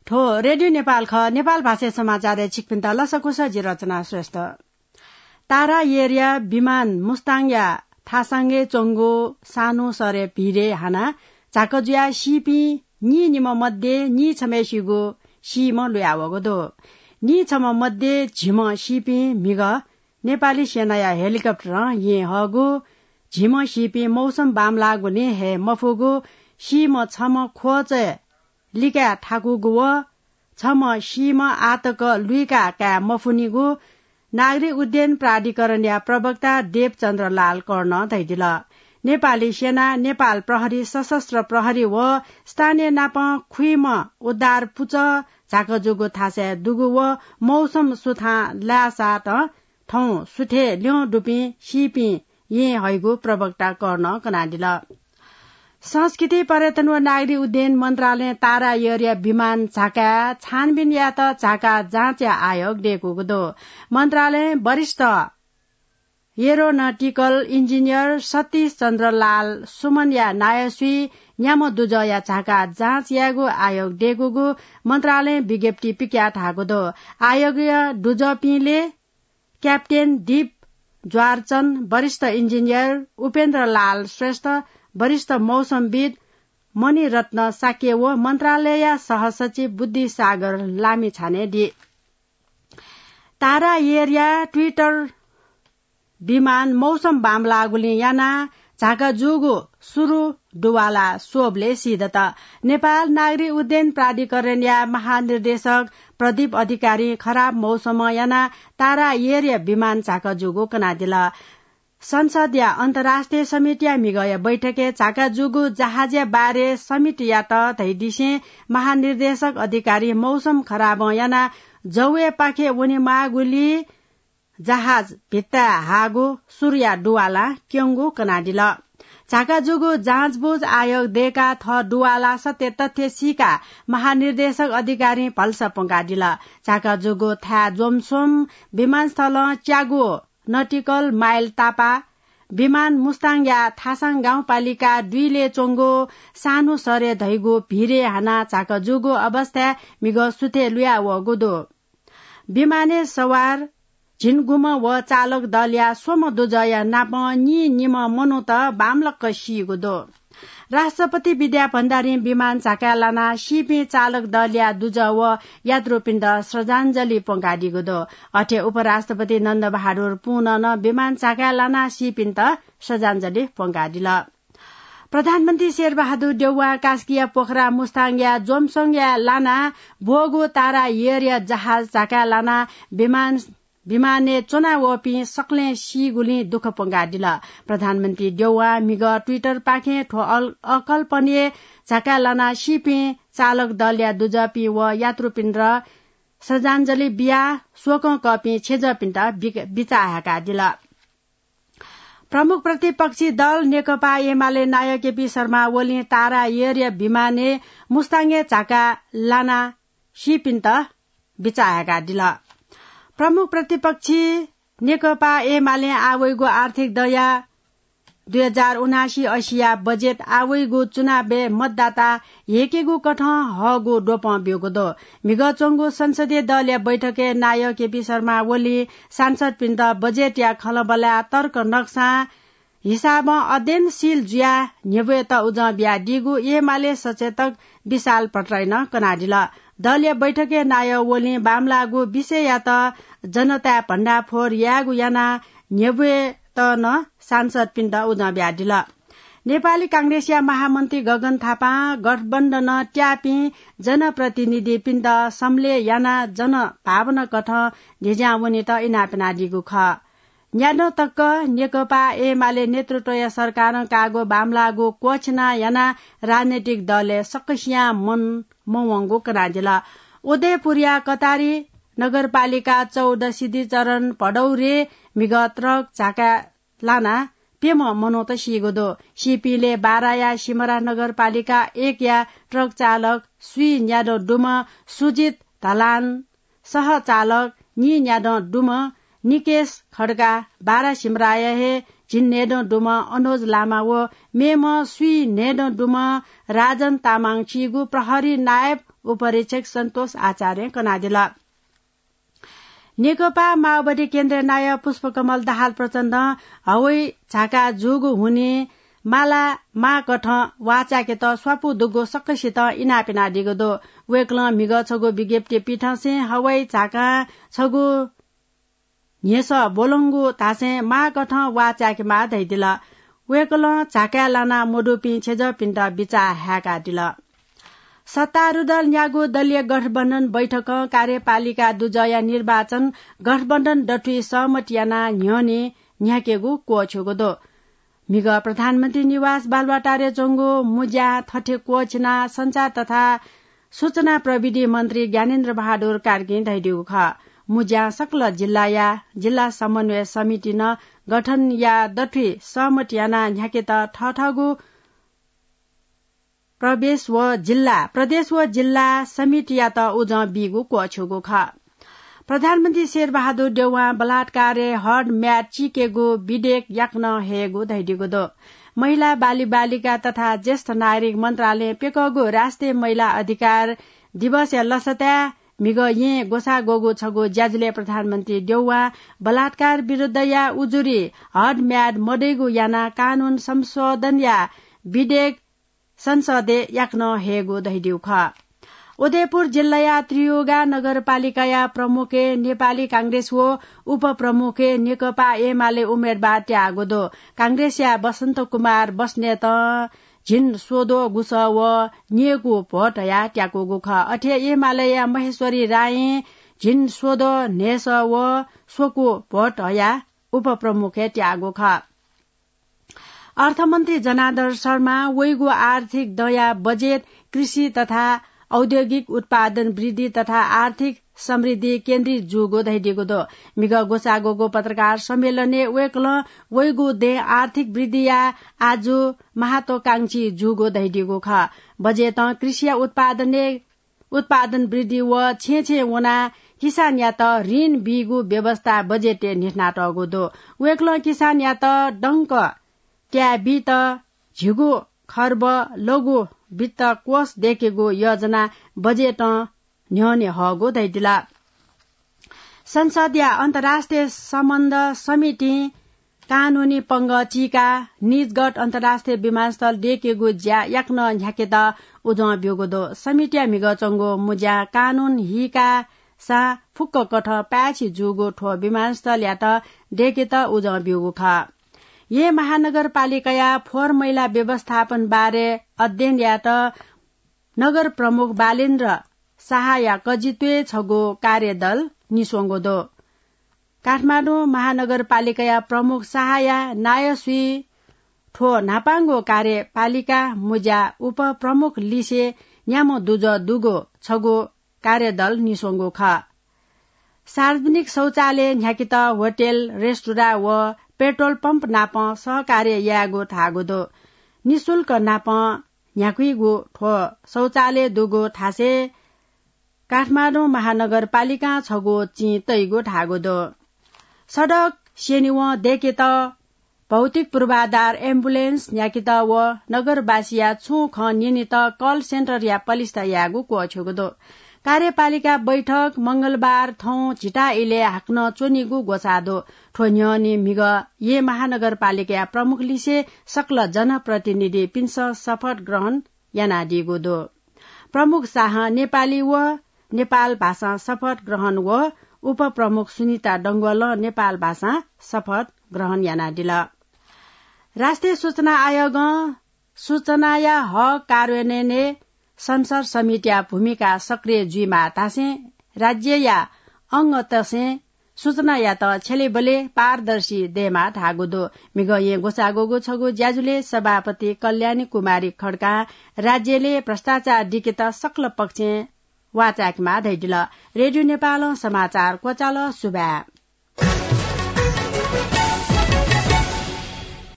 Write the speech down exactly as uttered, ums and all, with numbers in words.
थ्व रेडियो नेपाल खः। नेपाल भाषाय् समाचारय् छिकपिन्त लसकुस, जि रचना श्रेष्ठ। तारा एयरया विमान मुस्ताङया थासाङय् च्वंगु सानु सरय् भिरय् हानाः झाक जुयाः सीपिं नीनिम्ह मध्ये नीछम्हय्‌सिगु सीम्ह लुयावःगु दु। नीछम्ह मध्ये झिम्ह सीपिं म्हिगः नेपाली सेनाया हेलिकप्टरं येँ हःगु, झिम्ह सीपिं मौसम बांमलाःगुलिं हये मफुगु, सीम्ह छम्ह ख्वःचय् लिकाय् थाकूगु व छम्ह सीम्ह आःतक लुइका काये मफुनिगु नागरिक उड्डयन प्राधिकरणया प्रवक्ता देवचन्द्र लाल कर्णं धयादिल। नेपाली सेना, नेपाल प्रहरी, सशस्त्र प्रहरी व स्थानीय नापं खुइम्ह उद्धार पुचः झाक जूगु थासय् दुगु व मौसम सुथां लाय्‌सातं थौं सुथय् ल्यं दुपिं सीपिं येँ हइगु प्रवक्ता कर्णं कनादिल। संस्कृति, पर्यटन व नागरिक उड्डयन मन्त्रालयं तारा एयरया विमान झाकाय् छानबिन यायेत झाका जाँचया आयोग दय्‌कूगु दु। मन्त्रालयं वरिष्ठ एरोनटिकल इन्जिनियर सतीश चन्द्र लाल सुमनया नायःसुइ न्याम्ह दुजःया झाका जाँच यायेगु आयोग दय्‌कूगु मन्त्रालयं विज्ञप्ति पिकयाः धाःगु दु। आयोगया दुजःपिंले क्याप्टेन दीप ज्वारचन, वरिष्ठ इन्जिनियर उपेन्द्र लाल श्रेष्ठ, वरिष्ठ मौसमविद मणिरत्न शाक्य व मन्त्रालयया सहसचिव बुद्धिसागर लामिछाने दी। तारा एयरया ट्विटर विमान मौसम बांमलाःगुलिं यानाः झाका जूगु सुरु दुवाला स्वबलय् सीदत। नेपाल नागरिक उड्डयन प्राधिकरणया महानिर्देशक प्रदीप अधिकारीं खराब मौसमं यानाः तारा एयरया विमान झाका जूगु कनादिल। संसदया अन्तर्राष्ट्रिय समितिया म्हिगःया बैठकय् झाका जूगु जहाजया बारे समितियात धयादिसें महानिर्देशक अधिकारी मौसम खराबं यानाः जौय्‌पाखे वनेमाःगुलिं जहाज भित्ताय् हाःगु सुरुया दुवालां क्यंगु कनादिल। झाका जूगु जाँचबुझ आयोग दय्‌काः थः दुवाला सत्य तथ्य सीकाः महानिर्देशक अधिकारीं भलसा प्वंकादिल। झाका जूगु थाय् ज्वमस्वं विमानस्थलं च्यागू नटिकल माइल तापाः विमान मुस्ताङया थासाङ गाउँपालिका दुईले च्वंगु सानु सरय् धइगु भिरय् हानाः झाका जूगु अवस्थाय् म्हिगः सुथय् लुया वःगु दु। विमानय् सवार झिंगुम्ह व चालक दलया स्वम्ह दुजःया नापं नीनिम्ह मनूत बांमलाक सीगु दु। राष्ट्रपति विद्या भण्डारीं विमान झाकाय् लानाः सीपिं चालक दलया दुजः व यात्रुपिन्त श्रद्धाञ्जलि प्वंकादीगु दु। अथे उपराष्ट्रपति नन्दबहादुर पुनं नं विमान झाकाय् लानाः सीपिन्त श्रद्धाञ्जलि प्वंकादिल। प्रधानमन्त्री शेरबहादुर देउवां कास्कीया पोखरा मुस्ताङया ज्वमस्वंया लानाः ब्वःगु तारा एयरया जहाज झाकाय् लानाः विमान विमानय् च्वना वःपिं सकलें सीगुलिं दुःख प्वंकादिल। प्रधानमन्त्री देउवां म्हिगः Twitter पाखें थ्व अल-, अकल्पनीय झाकाय् लानाः सीपिं चालक दलया दुजःपिं व यात्रुपिन्त श्रद्धाञ्जलि बियाः शोकं कःपिं छेँजःपिन्त बिक-, बिचाः हाय्कादिल। प्रमुख प्रतिपक्षी दल नेकपा एमाले नायः केपी शर्मा ओलीं तारा एयरया विमानय् मुस्ताङय् झाकाय् लानाः सीपिन्त बिचाः हाय्कादिल। प्रमुख प्रतिपक्षी नेकपा एमालें आः वइगु आर्थिक दँया दुई हजार उनासी असीया बजेट आः वइगु चुनावय् मतदाता ह्येकेगु कथं हःगु द्वपं ब्यूगु दु। म्हिगः च्वंगु संसदीय दलया बैठकय् नायः केपी शर्मा ओलीं सांसदपिन्त बजेटया खँल्हाबल्हाया तर्क नक्सां हिसाबं अध्ययनशील जुयाः न्ह्यब्वयेत उजं बियादीगु एमाले सचेतक विशाल भट्टराईं कनादिल। दलया बैठकय् नायः ओलीं बांमलाःगु विषययात जनताय् भण्डाफोर यायेगु यानाः न्ह्यब्वयेत नं सांसदपिन्त उजं बियादिल। नेपाली कांग्रेसया महामन्त्री गगन थापां गठबन्धनं त्याःपिं जनप्रतिनिधिपिन्त सम्लेह यानाः जनभावना कथं न्ह्यज्यां वनेत इनाप यानादीगु खः। न्यादँ तक नेकपा एमाले नेतृत्वया सरकारं काःगु बांमलाःगु क्वःछिना यानाः राजनैतिक दलय् सकसियां मन मवंगु कनादिल। उदयपुरया कटारी नगरपालिका चौध सिद्धिचरण भडौरे म्हिगः ट्रक झाकाय् लानाः प्यम्ह मनूत सीगु दु। सीपिंलय् बाराया सिमरा नगरपालिका एकया ट्रक चालक स्वीन्यादँ दुम्ह सुजित धलान, सहचालक नीन्यादँ दुम्ह निकेश खड्का, बारा सिमराया हे झिंन्हय्दँ दुम्ह अनुज लामा व मेम्ह स्वीन्हय्दँ दुम्ह राजन तामाङ सीगु प्रहरी नायब उपरीक्षक सन्तोष आचार्यं कनादिल। नेकपा माओवादी केन्द्रया नायः पुष्पकमल दाहाल प्रचण्डं हवाई झाका जूगु हुनिं माला माःकथं वाःचाय्‌केत स्वापू दुगु सकसितं इनाप यानादीगु दु। वय्‌कलं म्हिगः छगू विज्ञप्ति पिथंसें हवाई झाकां छगू न्ह्यसः ब्वलंगु धासें माःकथं वाःचाय्‌केमाः धयादिल। वय्‌कलं झाकाय् लाना मदुपिं छेँजःपिन्त बिचाः हाय्‌कादिल। सत्तारूढ दलयागु दलीय गठबन्धन बैठकं कार्यपालिका दुजःया निर्वाचन गठबन्धन दथुइ सहमति यानाः न्ह्यःने न्ह्याकेगु क्वःछ्यूगु दु। म्हिगः प्रधानमन्त्री निवास बालुवाटारय् च्वंगु मुँज्यां थथे क्वःछिनाः सञ्चार तथा सूचना प्रविधि मन्त्री ज्ञानेन्द्र बहादुर कार्कीं धयादीगु खः। मुँज्यां सकल जिल्लाया जिल्ला समन्वय समिति नं गठन याः दथुइ सहमति यानाः न्ह्याकेत थःथःगु प्रवेश व जिल्ला, प्रदेश व जिल्ला समितियात उजं बीगु क्वःछ्यूगु खः। प्रधानमन्त्री शेरबहादुर देउवां बलात्कारय् हड म्याद चीकेगु विधेयक याकनं हयेगु धयादीगु दु। महिला, बालबालिका तथा ज्येष्ठ नागरिक मन्त्रालयं प्यकःगु राष्ट्रिय महिला अधिकार दिवसया लसताय् म्हिगः येँ ग्वसाः ग्वःगु छगू ज्याझ्वलय् प्रधानमन्त्री देउवां बलात्कार विरुद्धया उजुरी हड म्याद मदइगु यानाः कानून संशोधनया विधेयक संसदय् याकनं हयेगु धयादीगु खः। उदयपुर जिल्लाया त्रियुगा नगरपालिकाया प्रमुखय् नेपाली कांग्रेस व उपप्रमुखय् नेकपा एमाले उम्मेदवार त्याःगु दु। कांग्रेसया बसन्त कुमार बस्नेतं झिंस्वद्वः गुसः व न्यय्‌कू भोट हयाः त्याकूगु खः। अथे एमालेया महेश्वरी रायं झिंस्वद्वः न्हय्‌सः व स्वकू भोट हयाः उपप्रमुखय् त्याःगु खः। अर्थमन्त्री जनार्दन शर्मां वइगु आर्थिक दँया बजेट कृषि तथा औद्योगिक उत्पादन वृद्धि तथा आर्थिक समृद्धि केन्द्रित जूगु धयादीगु दु। म्हिगः ग्वसाः ग्वःगु पत्रकार सम्मेलनय् वय्‌कलं वइगु दँय् आर्थिक वृद्धिया आजु महत्वाकांक्षी जूगु धयादीगु खः। बजेटं कृषिया उत्पादनय् उत्पादन वृद्धि व छेँय् छेँय् वनाः किसानयात ऋण बीगु व्यवस्था बजेटय् न्ह्यथनातःगु दु। वय्‌कलं किसानयात दंक त्याये बीत झिगू खर्ब लघु वित्त कोष दय्‌केगु योजना बजेटं न्ह्यःने हःगु धयादिल। संसदया अन्तर्राष्ट्रिय सम्बन्ध समितिं कानूनी पंगः चीकाः निजगढ अन्तर्राष्ट्रिय विमानस्थल दय्‌केगु ज्या याकनं न्ह्याकेत उजं ब्यूगु दु। समितिया म्हिगः च्वंगु मुँज्यां कानून हीकासां फुक्क कथं पाय्‌छि जूगु थ्व विमानस्थलयात दय्‌केत उजं ब्यूगु खः। येँ महानगरपालिकाया फोहोर मैला व्यवस्थापन बारे अध्ययन यायेत नगर प्रमुख बालेन्द्र शाहया कजित्वय् छगू कार्यदल निस्वंगु दु। काठमाडौं महानगरपालिकाया प्रमुख शाहया नायःसुइ थ्व न्हापांगु कार्यपालिका मुँज्या उपप्रमुख लिसे न्याम्ह दुजः दुगु छगू कार्यदल निस्वंगु खः। सार्वजनिक शौचालय न्ह्याकेत होटेल, रेस्टुरा व पेट्रोल पम्प नाप सहकार्य यायेगु धाःगु दु। निशुल्क नाप न्ह्याकुइगु थ्व शौचालय दुगु थासय् काठमाडौं महानगरपालिकां छगू चिं तइगु धाःगु दु। सडक स्यनेवं दय्‌केत भौतिक पूर्वाधार एम्बुलेन्स न्ह्याकेत व नगरवासीया छुं खँ न्यनेत कल सेन्टरया पलिस्था यायेगु क्वःछ्यूगु दु। कार्यपालिका बैठक मंगलबार थौं झिता इलय् हाकनं च्वनीगु ग्वसाः दु। थ्व न्ह्यःने म्हिगः येँ महानगरपालिकाया प्रमुख लिसे सकल जनप्रतिनिधिपिन्सं शपथ ग्रहण यानादीगु दु। प्रमुख शाहं नेपाली व नेपाल भाषां शपथ ग्रहण व उपप्रमुख सुनिता डंगोलं नेपाल भाषां शपथ ग्रहण यानादिल। राष्ट्रिय सूचना आयोगं सूचनाया हक कार्यान्वयनय् संसद समितिया भूमिका सक्रिय जुइमाः धासें राज्यया अंगतय्सं सूचनायात छ्यलेबले पारदर्शी दयेमाः धाःगु दु। म्हिगः येँ ग्वसाः ग्वःगु छगू ज्याझ्वलय् सभापति कल्याणी कुमारी खड्कां राज्यलय् भ्रष्टाचार दिकेत सकल पक्षं वाःचायेकेमाः धयादिल। रेडियो नेपालं समाचार क्वचाल। सुभाय्।